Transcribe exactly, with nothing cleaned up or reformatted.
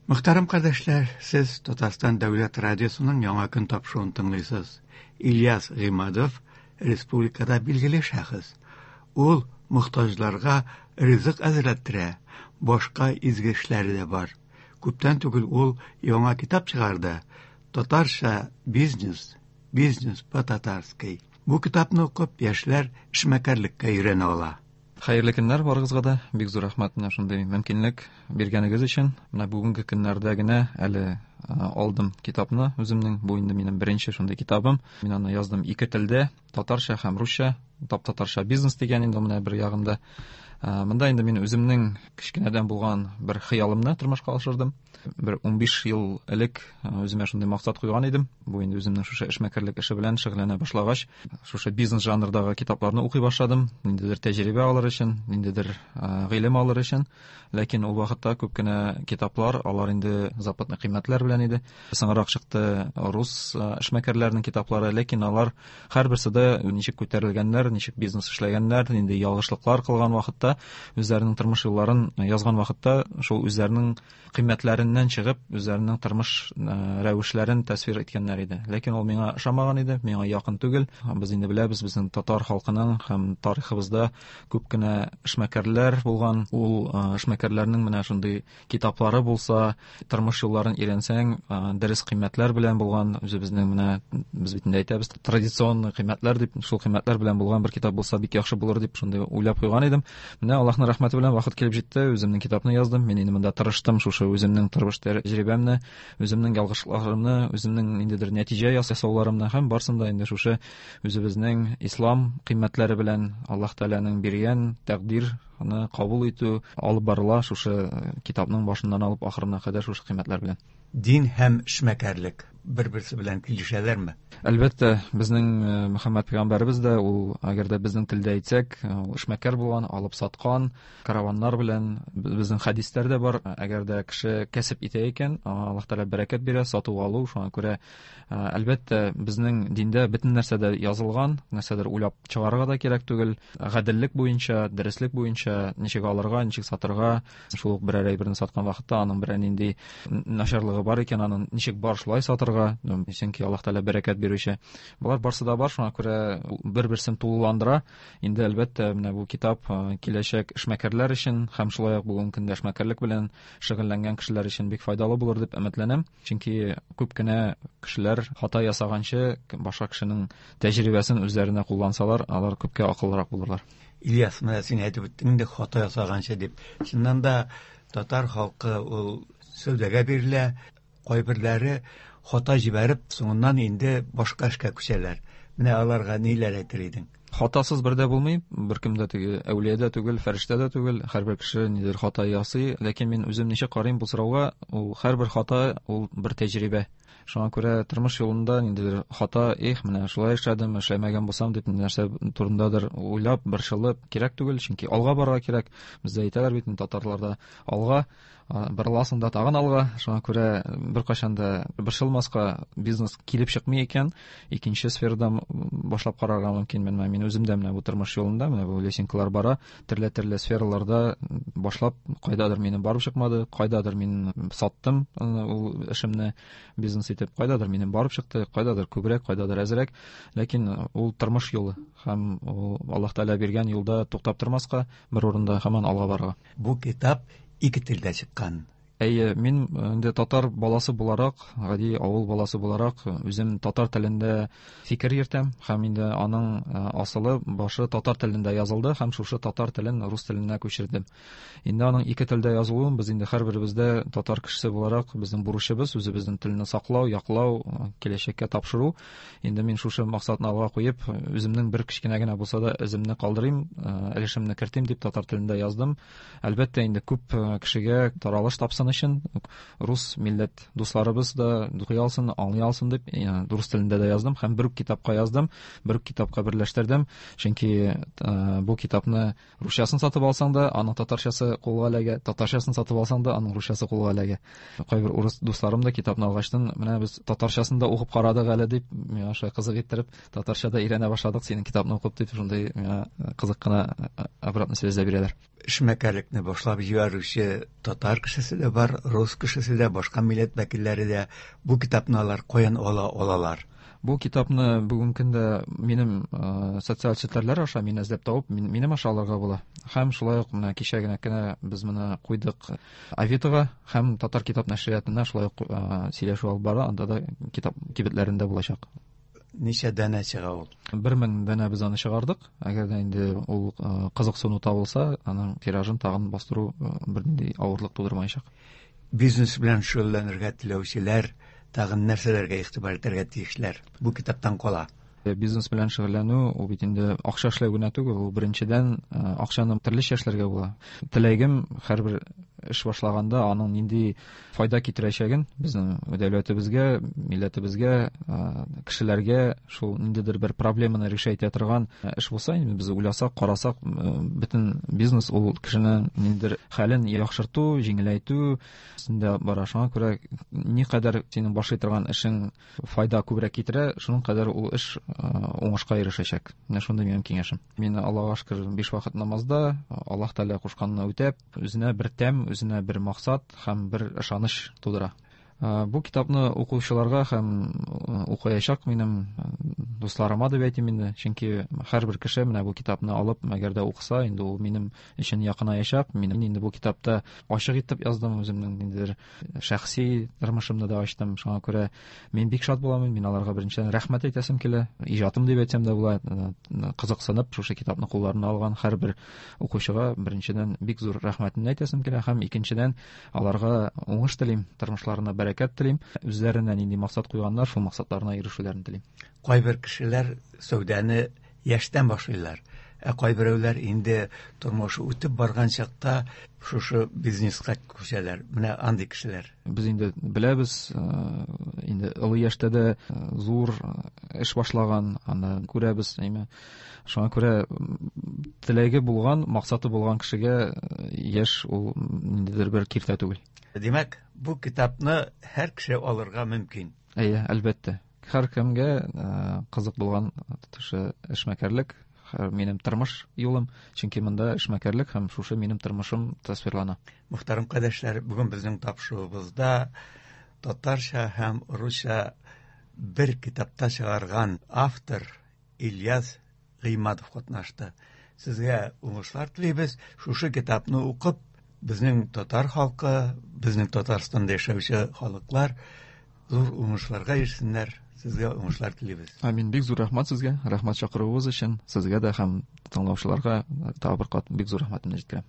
Мөхтәрәм кардәшләр, сез Татарстан Дәүләт радиосының Яңа көн тапшыруын тыңлыйсыз. Ильяс Гыймадов республикада билгеле шәхес. Ул мохтаҗларга ризык әзерләттерә, башка изге эшләре дә бар. Күптән түгел ул яңа китап чыгарды. Татарча бизнес, бизнес по-татарски. Бу китапны укып, яшьләр эшмәкәрлеккә өйрәнә ала. Хәерле көннәр барыгызга да. Бик зур рәхмәт менә шундый мөмкинлек биргәнегез өчен. Менә бүгенге көннәрдә генә әле алдым китапны үземнең. Бу инде минем беренче шундый китабым. Мин аны яздым ике телдә, татарча һәм русча. Тап-татарча бизнес дигән инде менә бер ягында. Монда инде мин үземнең кечкенәдән булган бер хыялымны тормышка ашырдым. Бер унбиш ел элек үземә шундый максат куйган идем. Бу инде үземнең шушы эшмәкәрлек эше белән шөгыльләнә башлагач, шушы бизнес жанрдагы китапларны укый башладым. Ниндидер тәҗрибә алыр өчен, ниндидер гыйлем алыр өчен. Ләкин ул вакытта күп кенә китаплар, алар инде западный кыйммәтләр белән иде. Соңрак чыкты рус эшмәкәрләренең китаплары, ләкин алар һәрберсе дә ничек күтәрелгәннәр, ничек бизнес эшләгәннәр, нинди ялгышлыклар кылган вакытта, үзләренең тормыш юлларын язган вакытта шул үзләренең кыйммәтләреннән чыгып, үзләренең тормыш рәвешләрен тәсвир иткәннәр иде. Ләкин ул миңа ошамаган иде, миңа якын түгел. Без инде беләбез, безнең татар халкының һәм тарихыбызда күп кенә эшмәкәрләр булган. Ул эшмәкәрләрнең менә шундый китаплары булса, тормыш юлларын өйрәнсәң, дөрес кыйммәтләр белән булган, үзебезнең менә без бит инде әйтәбез, традиционный кыйммәтләр дип, шул кыйммәтләр белән булган бер китап булса бик яхшы булыр дип шундый уйлап куйган идем. Менә Аллаһның рәхмәте белән вакыт килеп җитте, үземнең китапны яздым. Мин инде монда тырыштым, шушы үземнең тормыш тәҗрибәмне, үземнең ялгышларымны, үземнең ниндидер нәтиҗә ясауларымны һәм барсын да инде шушы үзебезнең ислам кыйммәтләре белән Аллаһ Тәгаләнең биргән тәкъдирны кабул итү алып барыла шушы китапның башыннан алып ахырына кадәр шушы кыйммәтләр белән. Дин һәм эшмәкәрлек бер-берсе белән килешәләрме? Әлбәттә, безнең Мөхәммәд пәйгамбәребез дә ул, әгәр дә безнең телдә әйтсәк, ул эшмәкәр булган, алып саткан, караваннар белән, безнең хәдисләр дә бар. Әгәр дә кеше кәсеп итә икән, Аллаһ Тәгалә бәрәкәт бирә, сату алу, шуңа күрә, әлбәттә, безнең диндә бөтен нәрсә дә язылган, нәрсәдер уйлап чыгарырга да кирәк түгел. Гаделлек буенча, дөреслек буенча ничек алырга, ничек сатырга, шул ук берәр әйберне саткан вакытта аның берәр нинди начарлыгы бар икән, аның ничек бар шулай сатырга, чөнки Аллаһ Тәгалә бәрәкәт бирүче. Болар барсы да бар, шуңа күрә бер-берсен тулыландыра. Инде әлбәттә, менә бу китап киләчәк эшмәкәрләр өчен һәм шулай ук бүгенге көндә эшмәкәрлек белән шөгыльләнгән кешеләр өчен бик файдалы булыр дип өметләнәм. Чөнки күп кенә кешеләр хата ясаганчы башка кешенең тәҗрибәсен үзләренә куллансалар, алар күпкә акыллырак булырлар. Ильяс, менә син әйтеп үттең инде хата ясаганчы дип. Чыннан да татар халкы ул сәүдәгә бирелә, кайберләре хата җибәреп, соңыннан инде башка эшкә күчәләр. Менә аларга ниләр әйтер идең? Хатасыз бер дә булмый, беркем дә теге әүлия дә түгел, фәрештә дә түгел, һәрбер кеше нидер хата ясый, ләкин мин үзем ничек карыйм бу сорауга, ул һәрбер хата ул бер тәҗрибә. Шуңа күрә тормыш юлында ниндидер хата, эх, менә шулай эшләдем, эшләмәгән булсам дип нәрсә турындадыр уйлап, борчылып кирәк түгел, чөнки алга барырга кирәк. Бездә әйтәләр бит татарларда алга, борыласың да тагын алга. Шуңа күрә беркайчан да борчылмаска, бизнес килеп чыкмый икән, икенче сферада башлап карарга мөмкин. Менә мин үзем дә менә бу тормыш юлында, менә бу лесенкалар бара, төрле-төрле сфераларда башлап, кайдадыр минем барып чыкмады, кайдадыр мин саттым ул эшемне бизнес итеп, кайдадыр минем барып чыкты, кайдадыр күбрәк, кайдадыр әзрәк. Ләкин ул тормыш юлы һәм ул Аллаһ Тәгалә биргән юлда туктап тормаска, бер урында һаман алга барырга. Бу китап ике телдә чыккан. Әйе, мин инде татар баласы буларак, гади авыл баласы буларак, үзем татар телендә фикер йөртәм һәм инде аның асылы башы татар телендә язылды һәм шушы татар телен рус теленә күчердем. Инде аның ике телдә язылуын без инде һәрберебездә татар кешесе буларак безнең бурычыбыз үзебезнең телне саклау, яклау, киләчәккә тапшыру. Инде мин шушы максатны алга куеп, үземнең бер кечкенә генә булса да эземне калдырыйм, өлешемне кертим дип татар телендә яздым. Әлбәттә, инде күп кешегә таралыш тапсын өчен рус милләт дусларыбыз да укый алсын, аңлый алсын дип рус телендә дә яздым һәм бер үк китапка яздым, бер үк китапка берләштердем. Чөнки бу китапны русчасын сатып алсаң да, аның татарчасы кулга эләгә, татарчасын сатып алсаң да, аның русчасы кулга эләгә. Кайбер урыс дусларым да китапны алгачтан, менә без татарчасын да укып карадык әле дип, миңа шулай кызык иттереп, татарча да өйрәнә башладык синең китапны укып дип, шундый миңа кызык кына обратная связь бирәләр. Эшмәкәрлекне башлап җибәрүче татар кешесе дә бар, бар, рус кешесе дә, башка милләт вәкилләре дә. Бу китапны алар каян ала алалар? Бу китапны бүгенге көндә минем э, социаль челтәрләр аша мине эзләп табып, мин, минем аша алырга була. Һәм шулай ук менә кичә генә кенә без моны куйдык Авитога һәм Татар китап нәшриятына шулай ук э, сөйләшү алып бара, анда да китап кибетләрендә булачак. Ничә данә чыга ул? Бер мең данә без аны чыгардык. Әгәр дә инде ул э, кызыксыну табылса, аның тиражын тагын бастыру э, бернинди авырлык тудырмаячак. Бизнес белән шөгыльләнергә теләүчеләр тагын нәрсәләргә игътибар итәргә тиешләр? Бу китаптан кала. Э, Бизнес белән шөгыльләнү ул бит инде акча эшләү генә түгел, ул беренчедән э, акчаны төрлечә эшләргә була. Теләгем һәрбер эш башлаганда аның нинди файда китерәчәген безнең дәүләтебезгә, милләтебезгә, э, кешеләргә шул ниндидер бер проблеманы решать итә торган э, эш булса, инде без уйласак, карасак, э, бөтен бизнес ул кешенең ниндидер хәлен яхшырту, җиңеләйтү өстендә бара. Шуңа күрә никадәр синең башлый торган эшең файда күбрәк китерә, шуның кадәр ул эш э, уңышка ирешәчәк. Менә шундый минем киңәшем. Мин Аллага шөкер биш вакыт намазда, Аллаһ Тәгалә кушканны үтәп, үзенә бер тәм, үзенә бер максат һәм бер ышаныч тудыра. Э, Бу китапны укучыларга һәм э, укыячак минем э, дусларыма дип әйтим инде, чөнки һәрбер кеше менә бу китапны алып, әгәр дә укыса, инде ул минем өчен якынаячак. Мин инде бу китапта ачык итеп яздым, үземнең ниндидер шәхси тормышымны да ачтым. Шуңа күрә мин бик шат булам. Мин аларга беренчедән рәхмәт әйтәсем килә. Иҗатым дип әйтсәм дә була, э, кызыксынып шушы китапны кулларына алган һәрбер укучыга беренчедән бик зур рәхмәтемне әйтәсем килә һәм икенчедән аларга уңыш телим, тормышларына бәрәкәт телим, үзләренә нинди максат куйганнар, шул максатларына ирешүләрен телим. Кайбер кешеләр сәүдәне яшьтән башлыйлар. Ә кайберәүләр инде тормышы үтеп барган чакта шушы бизнеска күчәләр. Менә андый кешеләр. Без инде беләбез, э, инде олы яшьтә дә э, зур э, эш башлаган, аны күрәбез, әйме. Шуңа күрә м, теләге булган, максаты булган кешегә э, яшь ул ниндидер бер киртә түгел. Димәк, бу китапны һәр кеше алырга мөмкин. Әйе, әлбәттә. Һәркемгә э, кызык булган шушы эшмәкәрлек, һәр- минем тормыш юлым, чөнки монда эшмәкәрлек һәм шушы минем тормышым тасвирлана. Мөхтәрәм кардәшләр, бүген безнең тапшыруыбызда татарча һәм русча бер китапта чыгарган автор Ильяс Гыймадов катнашты. Сезгә уңышлар телибез. Шушы китапны укып, безнең татар халкы, безнең Татарстанда яшәүче халыклар зур уңышларга ирешсеннәр. Сезгә уңышлар телибез. Амин. Бик зур рәхмәт сезгә, рәхмәт чакыруыгыз өчен. Сезгә дә һәм тыңлаучыларга тагы бер кат бик зур рәхмәтемне җиткерәм.